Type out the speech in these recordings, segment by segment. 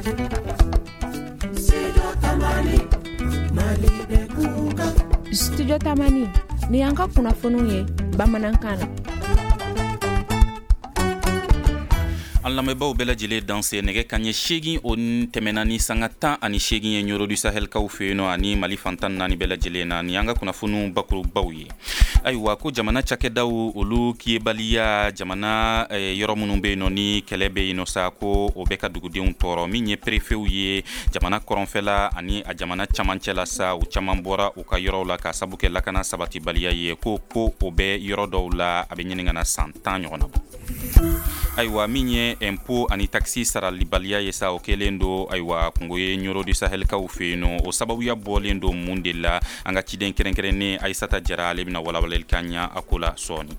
Studio Tamani ni y'an ka kunnafoniw ye bamanankan na. An lamɛnbaaw bɛɛ lajɛlen danse. Nɛgɛ ka ɲɛ 8, o tɛmɛna ni sanga 18 ye Ɲɔrɔ du Sahelkaw fɛ yen nɔ ani Mali fan 14 bɛɛ lajɛlen na. Ni an ka kunnafoniw bakurubaw ye, ayiwa, ko jamana cakɛdaw, olu kiyebaliya jamana yɔrɔ minnu bɛ yen nɔ ni kɛlɛ bɛ yen nɔ sa, ko o bɛ ka dugudenw tɔɔrɔ. Min ye perefew ye jamana kɔrɔnfɛla ani a jamana camancɛ la sa, u caman bɔra u ka yɔrɔw la ka sabu kɛ lakana sabatibaliya ye. Ko o bɛ yɔrɔ dɔw la, a bɛ ɲini ka na san 10 ɲɔgɔn na bɔ. Ayiwa, min ye impôt ani taxe saralibaliya ye sa, o kɛlen don, ayiwa, kungo ye Ɲɔrɔ du Sahelkaw fɛ yen nɔ. O sababuya bɔlen don mun de la? An ka ciden kɛrɛnkɛrɛnnen Ayisata Jara, ale bɛna walawalali k'an ɲa a ko la sɔɔni.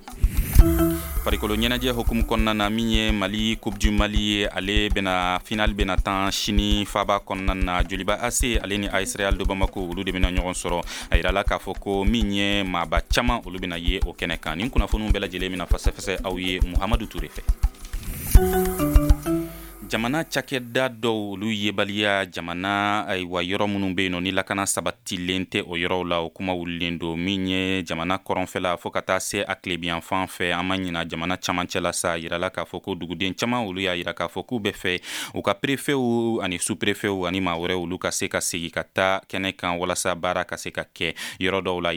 Farikolo ɲɛnajɛ hukumu kɔnɔna na, min ye Mali Coupe du Mali ye, ale bɛna finale bɛna tan sini faba kɔnɔna na. Joliba AC, ale ni AS Real de Bamako, olu de bɛna ɲɔgɔn sɔrɔ. A yirala k'a fɔ ko min ye maaba caman, olu bɛna ye o kɛnɛ kan. Nin kunnafoniw bɛɛ lajɛlen bɛna fɛsɛfɛsɛ aw ye Muhamadu Ture fɛ. Jamana cakɛda dɔw, olu yebaliya jamana, ayiwa, yɔrɔ minnu bɛ yen nɔ ni lakana sabatilen tɛ o yɔrɔw la, o kuma wulilen don. Min ye jamana kɔrɔnfɛla fo ka taa se a tilebiyanfan fɛ, an ma ɲina jamana camancɛ la sa, yirala k'a fɔ ko duguden caman, olu y'a yira k'a fɔ k'u bɛ fɛ u ka perefew ani sous-prefew ani maa wɛrɛ, olu ka se ka segin ka taa kɛnɛ kan walasa baara ka se ka kɛ yɔrɔ dɔw la.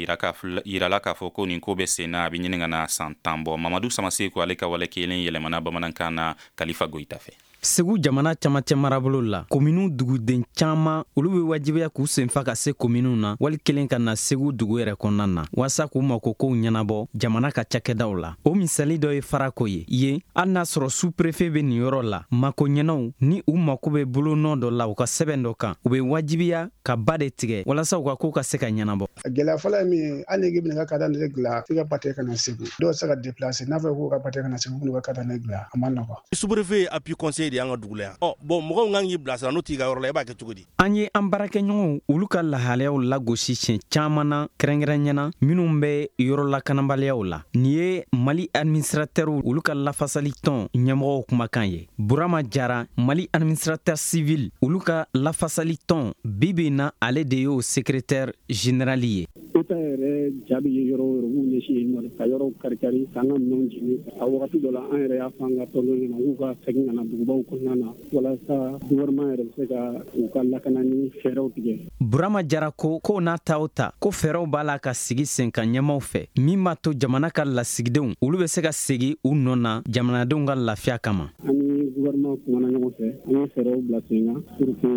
Yirala k'a fɔ ko nin ko bɛ sen na, a bɛ ɲini ka na san 10 bɔ. Mamadu Samaseku, ale ka wale kelen yɛlɛmana bamanankan na Kalifa Goyita fɛ. Segu jamana camancɛ marabolo la, kominiw duguden caaman, olu be wajibiya k'u senfa ka se kominiw na wali kelen ka na Segu dugu yɛrɛ kɔnɔna na waasa k'u mako kow ɲɛnabɔ jamana ka cakɛdaw la. O misali dɔ ye Farako ye. Yen, hali n'a sɔrɔ sous-préfet be nin yɔrɔ la, mako ɲɛnaw ni u mako be bolonɔ dɔ la u ka sɛbɛn dɔ kan, u be wajibiya ka ba de tigɛ walasa u ka koo ka se ka ɲɛnabɔ. Gɛlɛya fɔlɔ ye min ye, hali n'i bɛna ka carte d'identité dilan, f'i ka ba tigɛ ka na Segu. Dɔw tɛ se ka déplacer n'a fɔra k'u ka ba tigɛ ka na Segu k'u ka carte d'identité dilan, a ma nɔgɔn. Sous-préfet ye appui conseil de y'an ka dugu la yan. Ɔ bon, mɔgɔw kan k'i bilasira, n'o t'i ka yɔrɔ la, i b'a kɛ cogo di? An ye an baarakɛɲɔgɔnw, olu ka lahalayaw lagosi siɲɛ caaman na, kɛrɛnkɛrɛnyana minw bɛ yɔrɔ lakanabaliyaw la. Nin ye Mali administrateurw, olu ka lafasali tɔn ɲɛmɔgɔw kumakan ye. Burama Jara, Mali administrateur civil, olu ka lafasali tɔn, bibi na ale de y'o secrétaire général ye. État yɛrɛ ja bɛ ye yɔrɔ o yɔrɔ, k'u ɲɛsin yen nɔ, ka yɔrɔw kari-kari, k'an ka minɛnw jeni. A wagati dɔ la, an yɛrɛ y'a fɔ an ka tɔndenw ɲɛna k'u ka segin ka na dugubaw kɔnɔna na walasa gouvernement yɛrɛ bɛ se ka u ka lakana ni fɛɛrɛw tigɛ. Burama Jara ko k'o n'a ta o ta, ko fɛɛrɛw b'a la ka sigi sen kan ɲɛmaw fɛ min b'a to jamana ka lasigidenw, olu bɛ se ka segin u nɔ na jamanadenw ka lafiya kama. An ni gouvernement kumana ɲɔgɔn fɛ, an ye fɛɛrɛw bila sen kan pour que u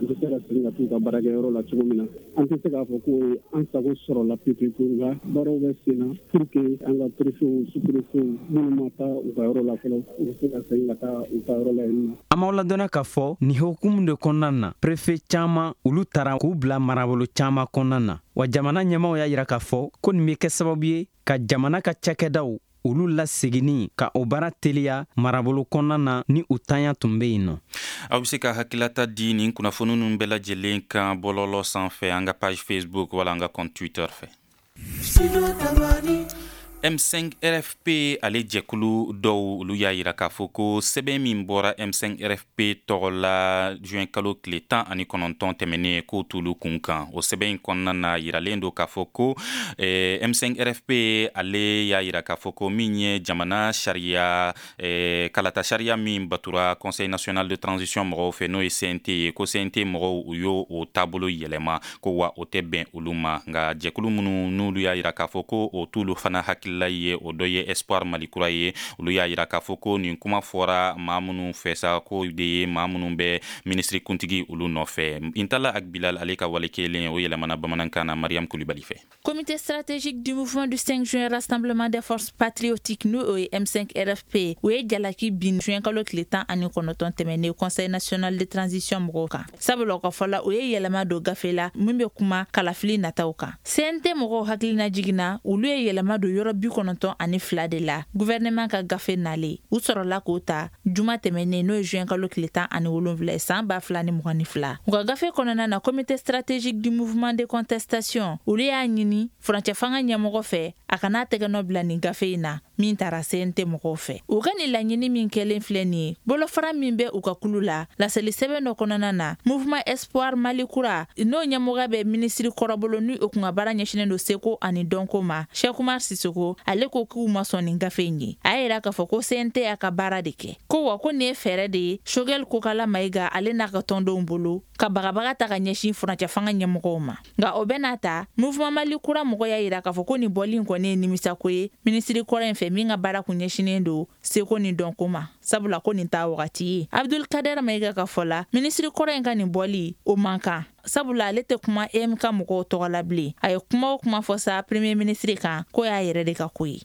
bɛ se ka segin ka t'u ka baarakɛyɔrɔ la cogo min na. An tɛ se k'a fɔ ko an sago sɔrɔla pewu pewu, nka baaraw bɛ sen na pour que an ka préfets, sous-préfets minnu ma taa u ka yɔrɔ la fɔlɔ, u bɛ se ka segin ka taa u ka yɔrɔ la yen nɔ. An b'aw ladɔnniya k'a fɔ nin hukumu de kɔnɔna na, préfet caman, olu taara k'u bila marabolo caman kɔnɔna na. Wa jamana ɲɛmaw y'a yira k'a fɔ ko nin bɛ kɛ sababu ye ka jamana ka cakɛdaw, olu laseginni ka o baara teliya marabolo kɔnɔna na ni u tanya tun bɛ yen nɔ. Aw bɛ se ka hakilata di nin kunnafoni ninnu bɛɛ lajɛlen kan bɔlɔlɔ sanfɛ, an ka page Facebook wala an ka compte Twitter fɛ. M5 RFP, ale jɛkulu dɔw, olu y'a yira k'a fɔ ko sɛbɛn min bɔra M5 RFP tɔgɔ la juin kalo tile 19 tɛmɛnen, k'o t'olu kun kan. O sɛbɛn in kɔnɔna na, yiralen don k'a fɔ ko M5 RFP, ale y'a yira k'a fɔ ko min ye jamana sariya, kalata sariya min batura Conseil national de transition mɔgɔw fɛ, n'o ye CNT ye, ko CNT mɔgɔw, u y'o o taabolo yɛlɛma, ko wa o tɛ bɛn olu ma. Nka jɛkulu minnu n'olu y'a yira k'a fɔ ko o t'olu fana hakilila ye, o dɔ ye Espoir Mali Kura ye. Olu y'a yira k'a fɔ ko nin kuma fɔra maa minnu fɛ sa, ko de ye maa minnu bɛ minisiri kuntigi olu nɔfɛ. Intala Agbilal, ale ka wale kelen, o yɛlɛmana bamanankan na Mariam Kulibali fɛ. Comité stratégique du mouvement du 5 juin, Rassemblement des forces patriotiques, n'o ye M5 RFP, o ye jalaki bin juin kalo tile 19 tɛmɛnen Conseil national de transition mɔgɔw kan, sabula u ka fɔ la, o ye yɛlɛma don gafe la min bɛ kuma kalafili nataw kan. CNT mɔgɔw hakilina jiginna, olu ye yɛlɛma don yɔrɔ 92 de la gouvernement ka gafe nalen. U sɔrɔla k'o ta juma tɛmɛnen, n'o ye juin kalo tile 17 ye san 2022. U ka gafe kɔnɔna na, Comité stratégique du mouvement de contestation, olu y'a ɲini furancɛ fanga ɲɛmɔgɔ fɛ a kana tɛgɛ nɔ bila nin gafe in na. min taara CNT mɔgɔw fɛ. U ka nin laɲini min kɛlen filɛ nin ye, bolofara min bɛ u ka kulu la, laseli sɛbɛn dɔ kɔnɔna na, Mouvement Espoir Mali Kura, n'o ɲɛmɔgɔya bɛ minisiri kɔrɔ bolo, ni o kun ka baara ɲɛsinnen don seko ani dɔnko ma, Cheick Oumar Sissoko, ale ko k'u ma sɔn nin gafe in ye. A y'a yira k'a fɔ ko CNT y'a ka baara de kɛ, ko wa ko nin ye fɛɛrɛ de ye Choguel Kokala Maïga ale n'a ka tɔndenw bolo ka bagabaga ta ka ɲɛsin furancɛ fanga ɲɛmɔgɔw ma. Nka o bɛɛ n'a ta, Mouvement Mali Kura mɔgɔ y'a yira k'a fɔ ko nin bɔli in kɔni ye nimisako ye minisiri kɔrɔ in fɛ, min ka baara kun ɲɛsinnen don seko ni dɔnko ma, sabula ko nin t'a wagati ye. Abdul Kader Maïga ka fɔ la, minisiri kɔrɔ in ka nin bɔli o man kan, sabula ale tɛ kuma EMK mɔgɔw tɔgɔ la bilen. A ye kuma o kuma fɔ sa premier ministre kan, ko y'a yɛrɛ de ka ko ye.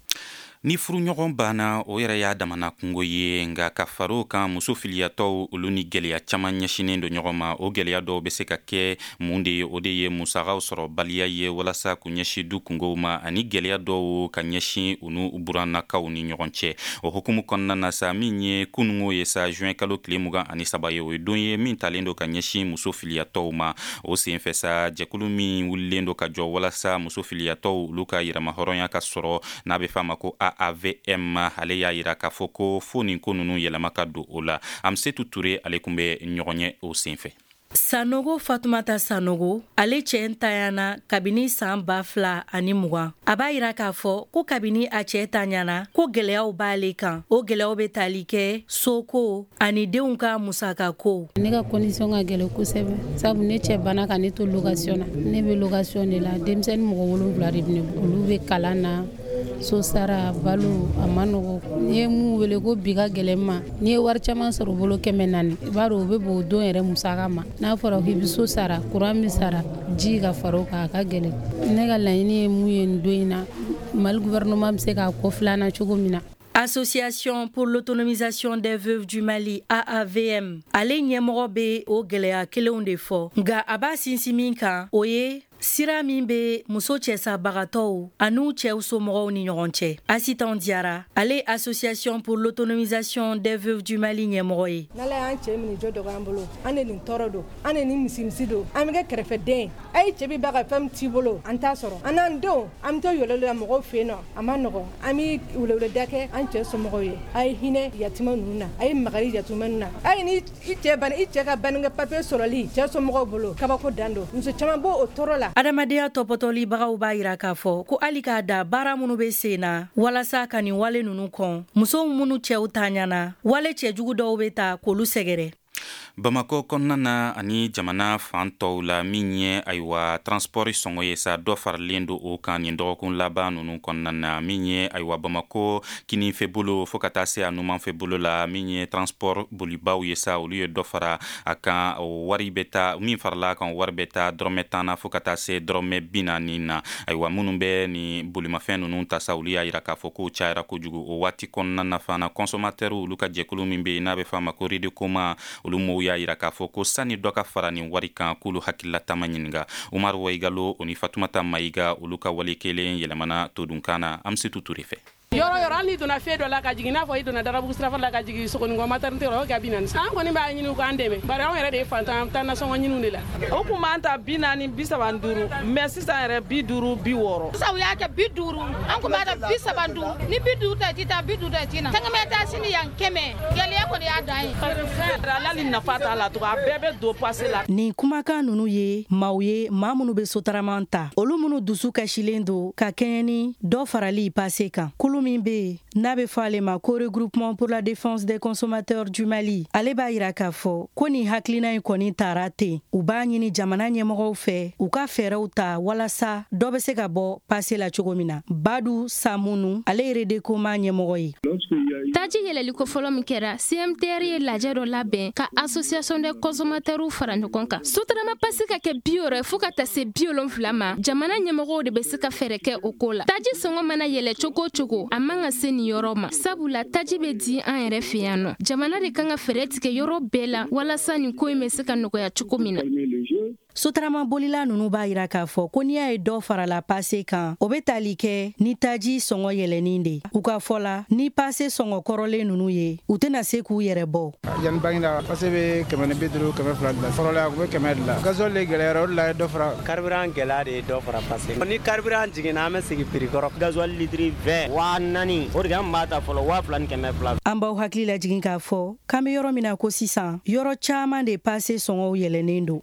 Ni furuɲɔgɔn banna, o yɛrɛ y'a damana kungo ye. Nka ka fara o kan, muso filiyatɔw, olu ni gwɛlɛya caman ɲɛsinen don ɲɔgɔn ma. O gwɛlɛya dɔw bɛ se ka kɛ mun de ye? O de ye musakaw sɔrɔ baliya ye walasa k'u ɲɛsin du kungow ma, ani gwɛlɛya dɔw ka ɲɛsin u n'u burannakaw ni ɲɔgɔn cɛ. O hukumu kɔnɔna na sa, min ye kunungo ye sa, juin kalo tile 23 ye, o ye don ye min talen don ka ɲɛsin muso filiyatɔw ma. O senfɛ sa, jɛkulu min wulilen don ka jɔ walasa muso filiyatɔw olu ka yɛrɛmahɔrɔnya ka sɔrɔ, n'a bɛ f'a ma ko AAVM, ale y'a yira k'a fɔ ko fo nin ko ninnu yɛlɛma ka don o la. Amsetu Ture, ale kun bɛ ɲɔgɔn ye o senfɛ. Sanogo Fatumata Sanogo, ale cɛ ntanyana kabini san 2020. A b'a yira k'a fɔ ko kabini a cɛ tanyana, ko gɛlɛyaw b'ale kan. O gɛlɛyaw bɛ tali kɛ soko ani denw ka musakako. Ne ka condition ka gɛlɛn kosɛbɛ, sabu ne cɛ banna ka ne to location na. Ne bɛ location de la, denmisɛnnin mɔgɔ 7 de bɛ ne bolo, olu bɛ kalan na, so sara, balo, a ma nɔgɔ. N'i ye mun wele ko bi ka gɛlɛn ma, n'i ye wari caman sɔrɔ bolo 400, i b'a dɔn o bɛ bɔn o don yɛrɛ musaka ma. N'a fɔra k'i bɛ so sara, courant bɛ sara, ji ka fara o kan, a ka gɛlɛn. Ne ka laɲini ye mun ye nin don in na, Mali gouvernement bɛ se k'a kɔ filanan cogo min na. Association pour l'autonomisation des veuves du Mali, AAVM, ale ɲɛmɔgɔ bɛ o gɛlɛya kelenw de fɔ, nka a b'a sinsin min kan, o ye sira min bɛ muso cɛsabagatɔw an'u cɛw somɔgɔw ni ɲɔgɔn cɛ. Asitan Diara, ale Association pour l'autonomisation des veuves du Mali ɲɛmɔgɔ ye. N'Ala y'an cɛ minɛ, jɔ dɔgɔ an bolo, an de nin tɔɔrɔ don, an de nin misimisi don, an bɛ kɛ kɛrɛfɛden. A ye cɛ bi ba ka fɛn t'i bolo, an t'a sɔrɔ. An n'an denw, an bɛ to yɛlɛ la mɔgɔw fɛ yen nɔ, a ma nɔgɔ. An bɛ weleweleda kɛ an cɛ somɔgɔw ye. A ye hinɛ yatimɛ ninnu na, a ye makari yatimɛ ninnu na. A ye ni i cɛ ban, i cɛ ka baninkɛ papier sɔrɔli cɛ somɔgɔw bolo, kabako dan don. Muso caman b'o o tɔɔrɔ la. Adamadenya tɔpɔtɔlibagaw b'a yira k'a fɔ ko hali k'a da baara minnu bɛ sen na walasa ka nin wale ninnu kɔn, musow minnu cɛw taɲana, wale cɛjugu dɔw bɛ ta k'olu sɛgɛrɛ. Bamakɔ kɔnɔna na ani jamana fan tɔw la, min ye ayiwa transport sɔngɔ ye sa, dɔ faralen don o kan nin dɔgɔkun laban ninnu kɔnɔna na. Min ye ayiwa Bamakɔ kininfɛ bolo fo ka taa se a numanfɛ bolo la, min ye transport bolibaw ye sa, olu ye dɔ fara a kan. O wari bɛ taa, min farala a kan, wari bɛ taa dɔrɔmɛ 10 na fo ka taa se dɔrɔmɛ 40 na. Ayiwa, minnu bɛ nin bolimafɛn ninnu ta sa, olu y'a yira k'a fɔ k'o cayara kojugu. O waati kɔnɔna na fana, consommateur olu ka jɛkulu min bɛ yen n'a bɛ f'a ma ko Redecoma, olu mɔgɔw y'a yira k'a fɔ ko sani dɔ ka fara nin wari kan, k'olu hakilila ɲininka. Umaru Waigalo, o ni Fatumata Mayiga, olu ka wale kelen yɛlɛmana todunkan na Amsetu Ture fɛ. Yɔrɔ yɔrɔ, hali n'i donna fɛn dɔ la ka jigin, n'a fɔ i donna Darabugu sirafa la ka jigin Sogonikɔ maternité rɔ, o kɛ 40. An kɔni b'a ɲini u k'an dɛmɛ, bari anw yɛrɛ de ye fantan, an bɛ taa nasɔngɔ ɲiniw de la. O kun b'an ta 40, 35, mais sisan yɛrɛ 50, 60. Sisan u y'a kɛ 50, an kun b'a ta 35. Ni 50 ta, i ti taa, 50 ta, i ti na. Tɛgɛmɛ taa sini yan 100, gɛlɛya kɔni y'a dan ye. Hali nafa t'a la tugun, a bɛɛ bɛ don pase la. Nin kumakan ninnu ye maaw ye, maa minnu bɛ sotarama ta, olu minnu dusu kasilen don ka kɛɲɛ ni dɔ farali pase kan. Kulu min bɛ yen n'a bɛ fɔ ale ma ko Regroupement pour la défense des consommateurs du Mali, ale b'a yira k'a fɔ ko nin hakilina in kɔni tara ten. U b'a ɲini jamana ɲɛmɔgɔw fɛ u ka fɛɛrɛw ta walasa dɔ bɛ se ka bɔ pase la cogo min na. Badu Samunu, ale ye Redecoma ɲɛmɔgɔ ye. Taji yɛlɛliko fɔlɔ min kɛra, CMTR ye lajɛ dɔ labɛn ka association des consommateurs fara ɲɔgɔn kan. Sotarama pase ka kɛ 60 fo ka taa se 70 ma, jamana ɲɛmɔgɔw de bɛ se ka fɛɛrɛ kɛ o ko la. Taji sɔngɔ mana yɛlɛ cogo o cogo, a man ka se nin yɔrɔ ma, sabula taji bɛ di an yɛrɛ fɛ yan nɔ. Jamana de kan ka fɛɛrɛ tigɛ yɔrɔ bɛɛ la walasa nin ko in bɛ se ka nɔgɔya cogo min na. ye. Sotarama bolila ninnu b'a yira k'a fɔ ko n'i y'a ye dɔ farala pase kan, o bɛ tali kɛ ni taji sɔngɔ yɛlɛnin de. U ka fɔ la, ni pase sɔngɔ kɔrɔlen ninnu ye, u tɛna se k'u yɛrɛ bɔ. Yanni Baginda pase bɛ 150, 200 de la. Fɔlɔ la a tun bɛ 100 de la. Gasoil de gɛlɛyara, o de la ye dɔ fara. Carburant gɛlɛya de ye dɔ fara pase. Ni carburant jiginna, an bɛ segin prix kɔrɔ. Gasoil litre 20 4000, o de an b'a ta fɔlɔ 2200. An b'aw hakili lajigin k'a fɔ k'an bɛ yɔrɔ min na ko sisan, yɔrɔ caman de pase sɔngɔw yɛlɛnnen don.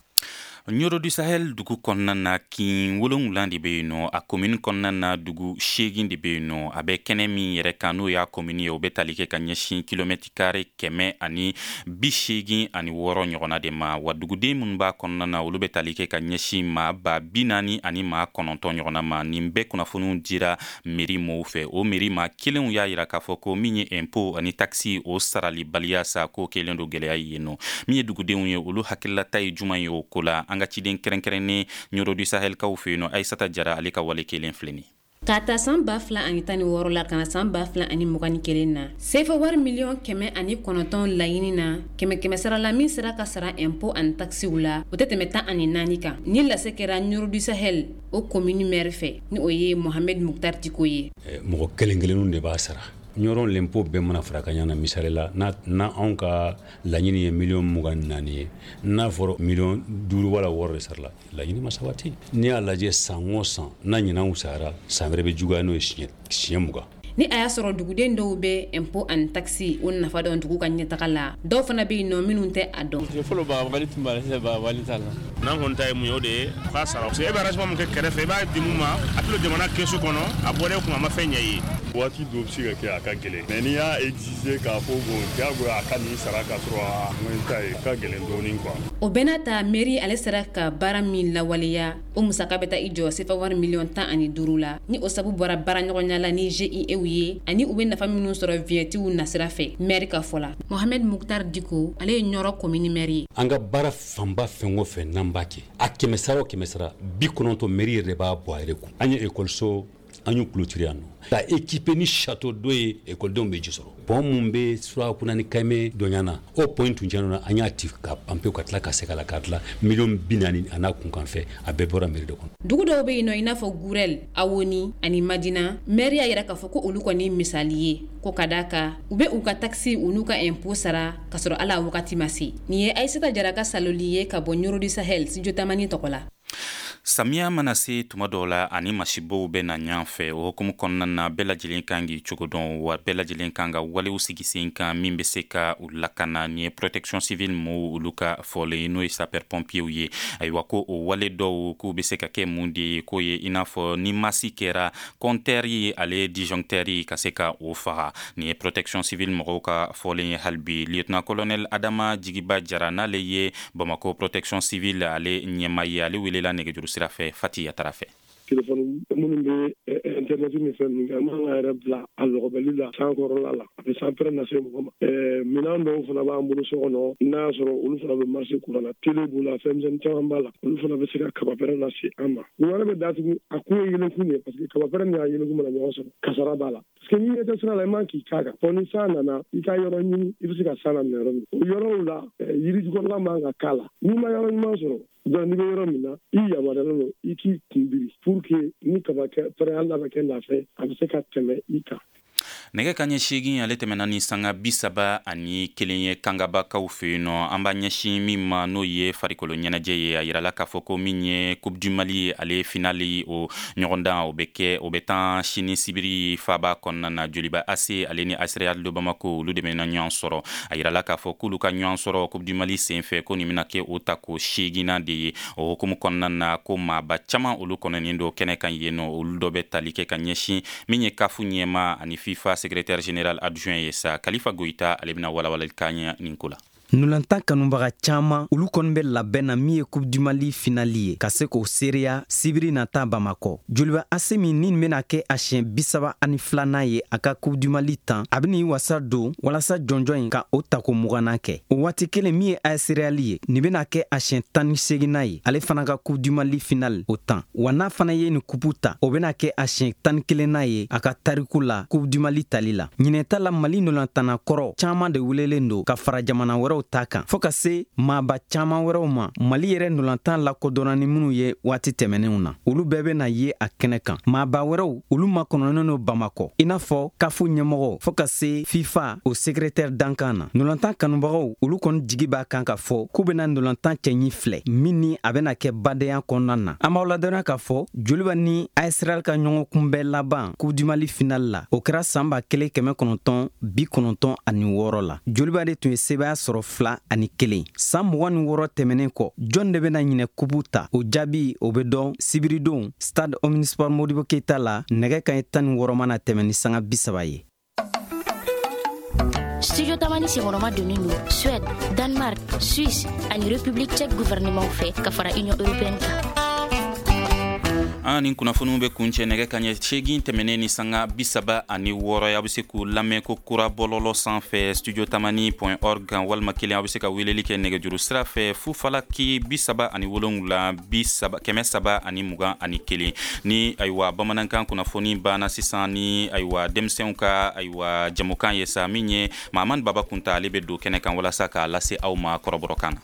Nioro du Sahel dugu kɔnɔna na, kin 7 de bɛ yen nɔ. A komini kɔnɔna na, dugu 8 de bɛ yen nɔ. A bɛ kɛnɛ min yɛrɛ kan, n'o y'a komini ye, o bɛ tali kɛ ka ɲɛsin kilomɛtiri kare 186 ɲɔgɔnna de ma. Wa duguden minnu b'a kɔnɔna na, olu bɛ tali kɛ ka ɲɛsin maa 409 ɲɔgɔnna ma. Nin bɛɛ kunnafoniw dira mairie mɔɔw fɛ. O mairie maa kelenw y'a yira k'a fɔ ko min ye impôt ani taxe, o saralibaliya sa, k'o kɛlen don gɛlɛya ye yen nɔ. Min ye dugudenw ye, olu hakililata ye juman ye o ko la? An ka ciden kɛrɛnkɛrɛnnen Nioro du Sahelkaw fɛ yen nɔ, Ayisata Jara, ale ka wale kelen filɛ nin. K'a ta san 2016 la ka na san 2021 na, sefa wari miliyɔn 109 laɲini na, kɛmɛ kɛmɛ sara la, min sera ka sara impôt ani taxew la, o tɛ tɛmɛ 14 kan. Ni lase kɛra Nioro du Sahel o commune maire fɛ, ni o ye Mohamed Muktar Diko ye. Mɔgɔ kelen kelenw de b'a sara. Ɲɔrɔn l'impôt bɛɛ mana fara ka ɲana, misali la, n'a anw ka laɲini ye miliyɔn 24 ye, n'a fɔra miliyɔn 5 wala 6 de sarala, laɲini ma sabati. N'i y'a lajɛ, san o san n'a ɲinan sara, san wɛrɛ bɛ juguya n'o ye siɲɛ 20. Ni a y'a sɔrɔ duguden dɔw bɛ impôt ani taxe o nafa dɔn dugu ka ɲɛtaga la, dɔw fana bɛ yen nɔ minnu tɛ a dɔn. Fɔlɔ bagabali tun b'a la, sisan bagabali t'a la. N'an kɔni ta ye mun ye, o de ye k'a sara, parce que e bɛ arrangement min kɛ kɛrɛfɛ, i b'a di mun ma, a tɛ don jamana kɛsu kɔnɔ, a bɔra e kun, a ma fɛn ɲɛ i ye. Waati dɔ bɛ se ka kɛ a ka gɛlɛn, mais n'i y'a exiger k'a fɔ bon, diyagoya a ka nin sara k'a sɔrɔ a moyen t'a ye, ka gɛlɛn dɔɔnin quoi. O bɛɛ n'a ta, mairie ale sera ka baara min lawaleya, o musaka bɛ taa i jɔ sefa wari miliyɔn 15 la. Ni o sabu bɔra baaraɲɔgɔnya la ni GIE ye ani u bɛ nafa minnu sɔrɔ vignettew nasira fɛ. Maire ka fɔ la, Mohamed Muktar Diko, ale ye Ɲɔrɔ commune maire ye. An ka baara fanba, fɛn o fɛn n'an b'a kɛ, a kɛmɛ sara o kɛmɛ sara, 90, mairie yɛrɛ de b'a bɔ a yɛrɛ kun. An ye ekɔliso, an y'u clôturer yan nɔ ka équiper ni château d'eau ye, ekɔlidenw bɛ ji sɔrɔ. Pont mun bɛ Surakuna ni Kayime dɔɲana, o pont in tun tiɲɛna, an y'a ci ka ban pewu, ka tila ka segin a la k'a dilan, miliyɔn 40 a n'a kunkan fɛ, a bɛɛ bɔra mairie de kɔnɔ. Dugu dɔw bɛ yen nɔ, i n'a fɔ Gurɛl, Awoni ani Madina, maire y'a yira k'a fɔ ko olu kɔni misali ye ko ka d'a kan u bɛ u ka taxe u n'u ka impôt sara k'a sɔrɔ hali a wagati ma se. Nin ye Ayisata Jara ka saloli ye ka bɔ Nioro du Sahel, studio Tamani tɔgɔ la. Samiya mana se tuma dɔw la, ani masibow bɛ na ɲɔgɔn fɛ. O hukumu kɔnɔna na, bɛɛ lajɛlen kan k'i cogo dɔn, wa bɛɛ lajɛlen kan ka walew sigi sen kan min bɛ se ka u lakana. Nin ye protection civile mɔgɔw olu ka fɔlen, n'o ye sapeur pompier ye. Ayiwa, ko o wale dɔw k'u bɛ se ka kɛ mun de ye? K'o ye i n'a fɔ ni masi kɛra, compteur ye, ale disjoncteur ka se ka o faga. Nin ye protection civile mɔgɔw ka fɔlen ye hali bi. Lieutenant colonel Adama Jigiba Jara, n'ale ye Bamako protection civile ale ɲɛma ye, ale welela nɛgɛjuru sira fɛ Fati Yatara fɛ. Telefɔni minnu bɛ internet ni fɛn ninnu kɛ, an man ka yɛrɛ bila a lɔgɔbɛli la san kɔrɔla la, a bɛ sanpɛrɛn lase mɔgɔ ma. Minɛn dɔw fana b'an bolo so kɔnɔ, n'a y'a sɔrɔ olu fana bɛ marcher courant na, télé b'u la, fɛn misɛnnin caman b'a la, olu fana bɛ se ka kabapɛrɛn lase an ma. Wɛrɛ bɛ datugu, a kun ye yɛlɛkun de ye, parce que kabapɛrɛn ni a yɛlɛkun mana ɲɔgɔn sɔrɔ, kasara b'a la, parce que n'i ɲɛ tɛ sira la, i man k'i k'a kan fɔ ni san nana, i ka yɔrɔ ɲini i bɛ se ka san laminɛ yɔrɔ min. O yɔrɔw la, yiri jukɔrɔla man ka k'a la. N'i ma yɔrɔ ɲuman sɔrɔ, donc n'i bɛ yɔrɔ min na, i yamaruyalen don i k'i kun biri pour que ni kaba kɛ pɛrɛn, hali n'a bɛ kɛ nafɛ, a bɛ se ka tɛmɛ i kan. Nɛgɛ ka ɲɛ 8, ale tɛmɛna ni sanga 31 ye Kangabakaw fɛ yen nɔ. An b'a ɲɛsin min ma, n'o ye farikolo ɲɛnajɛ ye. A yirala k'a fɔ ko min ye Coupe du Mali, ale finale, o ɲɔgɔndan o bɛ kɛ, o bɛ tan sini sibiri faba kɔnɔna na. Joliba AC ale ni AS Real de Bamako, olu de bɛna ɲɔgɔn sɔrɔ. A yirala k'a fɔ k'olu ka ɲɔgɔn sɔrɔ Coupe du Mali senfɛ, ko nin bɛna kɛ o tako 8nan de ye. O hukumu kɔnɔna na, ko maaba caman olu kɔnɔnen don kɛnɛ kan yen nɔ. Olu dɔ bɛ tali kɛ ka ɲɛsin min ye CAF ɲɛma ani FIFA secrétaire général adjoint ye sa, Kalifa Goyita, ale bɛna walawalali k'an ye nin ko la. Ntolantan kanubaga caman, olu kɔni bɛ labɛn na min ye Coupe du Mali finale ye, ka se k'o seereya sibiri nata Bamakɔ. Joliba AC min ni bɛna kɛ a siɲɛ 32nan ye a ka Coupe du Mali tan, a bɛn'i wasa don walasa jɔnjɔn in ka o tako 20nan kɛ. O waati kelen, min ye AS Real ye, nin bɛna kɛ a siɲɛ 18nan ye ale fana ka Coupe du Mali finale o tan. Wa n'a fana ye nin coupe ta, o bɛna kɛ a siɲɛ 11nan ye a ka tariku la Coupe du Mali tali la. Ɲinɛta la, Mali ntolantanna kɔrɔ caman de welelen don ka fara jamana wɛrɛw. wɛrɛw ta kan, fɔɔ ka se maaba caaman wɛrɛw ma, Mali yɛrɛ ndolantan lakodɔnna ni minnu ye waati tɛmɛnenw na, olu bɛɛ bɛna ye a kɛnɛ kan. Maaba wɛrɛw, olu makɔnɔnen don Bamakɔ, i n'a fɔ CAF ɲɛmɔgɔ, fɔɔ ka se FIFA o secrétaire dankan na. Ndolantan kanubagaw, olu kɔni jigi b'a kan k'a fɔ k'u bɛna ndolantan cɛɲi filɛ min ni a bɛna kɛ badenya kɔnɔna na. An b'aw ladɔnniya k'a fɔ Joliba ni AS Real ka ɲɔgɔn kunbɛn laban Coupe du Mali final la, o kɛra san 1996 la. Joliba de tun ye sebaaya sɔrɔ 2-1. San 26 tɛmɛnen kɔ, jɔn de bɛna ɲinɛ kupu ta? O jaabi, o bɛ dɔn sibiridon stade Omnisport Modibo Keita la, nɛgɛ kaɲɛ 16 mana tɛmɛ ni sanga 30 ye. Studio Tamani senkɔrɔma donnen don Suède, Danemark, Suisse ani République tchèque gouvernement fɛ ka fara Union européenne kan. An ni kunnafoniw bɛ kuncɛ nɛgɛ kaɲɛ 8 tɛmɛnen ni sanga 36 ye. A bɛ se k'u lamɛn ko kura bɔlɔlɔ sanfɛ studiotamani.org kan, walima kelen, a bɛ se ka weleli kɛ nɛgɛjuru sira fɛ 0 37 30 321. Ni ayiwa bamanankan kunnafoni banna sisan, ni ayiwa denmisɛnw ka ayiwa jamukan ye sa, min ye Mahamani Baba Kunta, ale bɛ don kɛnɛ kan walasa k'a lase aw ma kɔrɔbɔrɔkan na.